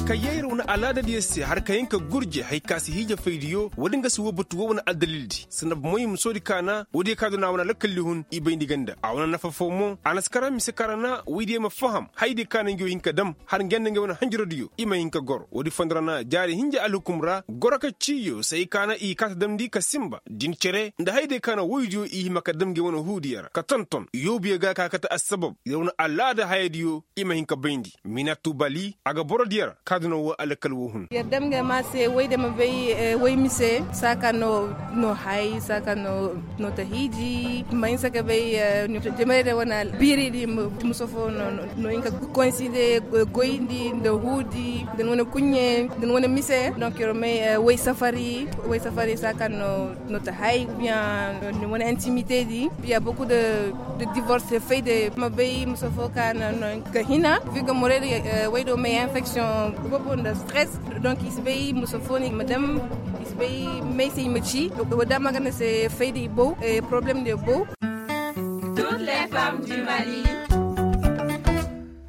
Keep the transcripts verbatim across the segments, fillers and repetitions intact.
Ka yee ir wane alaadadiyo se har ka hin ka gurje haya ka si hiija faydiyo woodin ga si woo batu woo wane addalildi sanda bomoy musoodi kaana woodiyo ka du na a wane lakalli hun i bayndi ganda a wane nafa foo mo a na si kara mise ka ra na woydiyo ma faham hayadiyo ka na ngiyo hin ka dam har ngi yanda ngi wane hanjarodiyo i ma hin ka goro woodi fondo ra na jaari hinja alhukum ra goro ka ciiyo se ay ka na i kaata damndi ka sinba din cere nda hayadiyo ka na woydiyo i hima ka dam ngi wane huudiyo ra ka tonton yoobuyo ga ka kate assabab ir wane alaada hayadiyo i ma hin ka bayndi minatu bali a ga borodiyo ra ka duna woo alkal woo hun. Yer dam ga ma se woy de ma bay woy mise saa ka no no hay saa ka no no ta hiiji ma hinsa ka bay. Jemere de wane biiri di muso fo no hinka konsi de goy di nda huudi nda ni wane kuɲɲe nda ni wane mise donk yer may woy safari woy safari saa ka no no ta hay ou bien ni wane intimité di. Il y a beaucoup de de divorce fayda ma bay muso fo ka na no ka hina. Viga morel waydo may infection bobo nda stress. Donc i si bay muso fo ni ma dam i si bay may se i ma ci. Wada magana se fayda i bow problème de bow. Toutes les femmes du mali.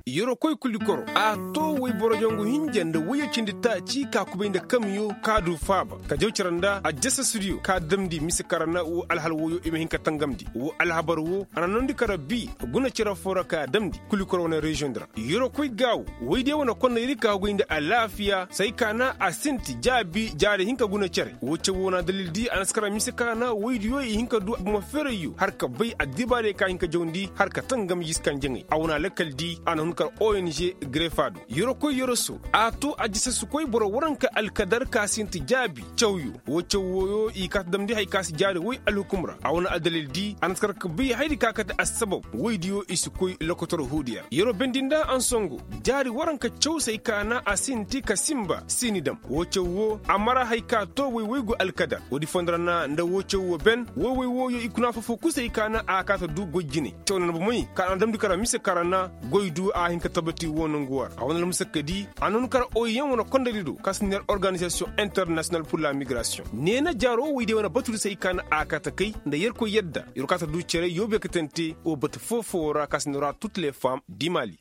Yeroo koy kulikoro a too woy boro jangu hinja nda woyyo cindi taaci ka kubay nda kamyo ka du faaba ka jaw cere nda aljasasudiyo ka damndi mise ka ra na woo alhal woyyo i ma hin ka tangamndi woo alhabar woo a na noondi ka ra bii guna cere foo ra ka damndi kulikoro wane reziyoŋ di ra. Yeroo koy gaawo woydiyo wane konnayri ka hugay nda alaafiya se ay ka na a sinti jaabi jaari hinka guna cere woo caw woo na dalildi a na si ka ra mise ka ra na woydiyo i hin ka du bomo feerayyo har ka bay addibaarey ka hin ka jawndi har ka tangam yiskan jaŋay a wane lakkal di a na hun kar ong grefa do. Yeroo koy yeroo so a to a jisa si koy boro waranka alkadar ka sinti jaabi cawyo woo caw wooyo i kaata damndi hay ka si jaari woy alhukum ra a wane addalil di a na si kar ka bay haydi ka kate assabab woydiyo i si koy lokotor huudiya ra yeroo bendi nda ansongo jaari waranka caw se ay ka na a sinti ka sinba siini dam woo caw woo a mara hay ka to woy woygu alkadar woodi fondo ra na nda woo caw woo ben woy woy wooyo i kuna foo-foo kul se ay ka na a kaata du goy jinay caw na na bomey ka a na damndi kara mise kara na goy du a hin ka tabati woo nongu war a wane almusakka di a noonu kara oy yaŋ wane kondaydi do ka si neer organizasiyoŋ internasiyonal pur la migrasiyoŋ neena jaaro woy day wane batu di se ay ka na a kaata kay nda yerkoy yadda yer kaata du cere yoobe katante woo batu foo-foo ra ka si neera tut le fam di mali.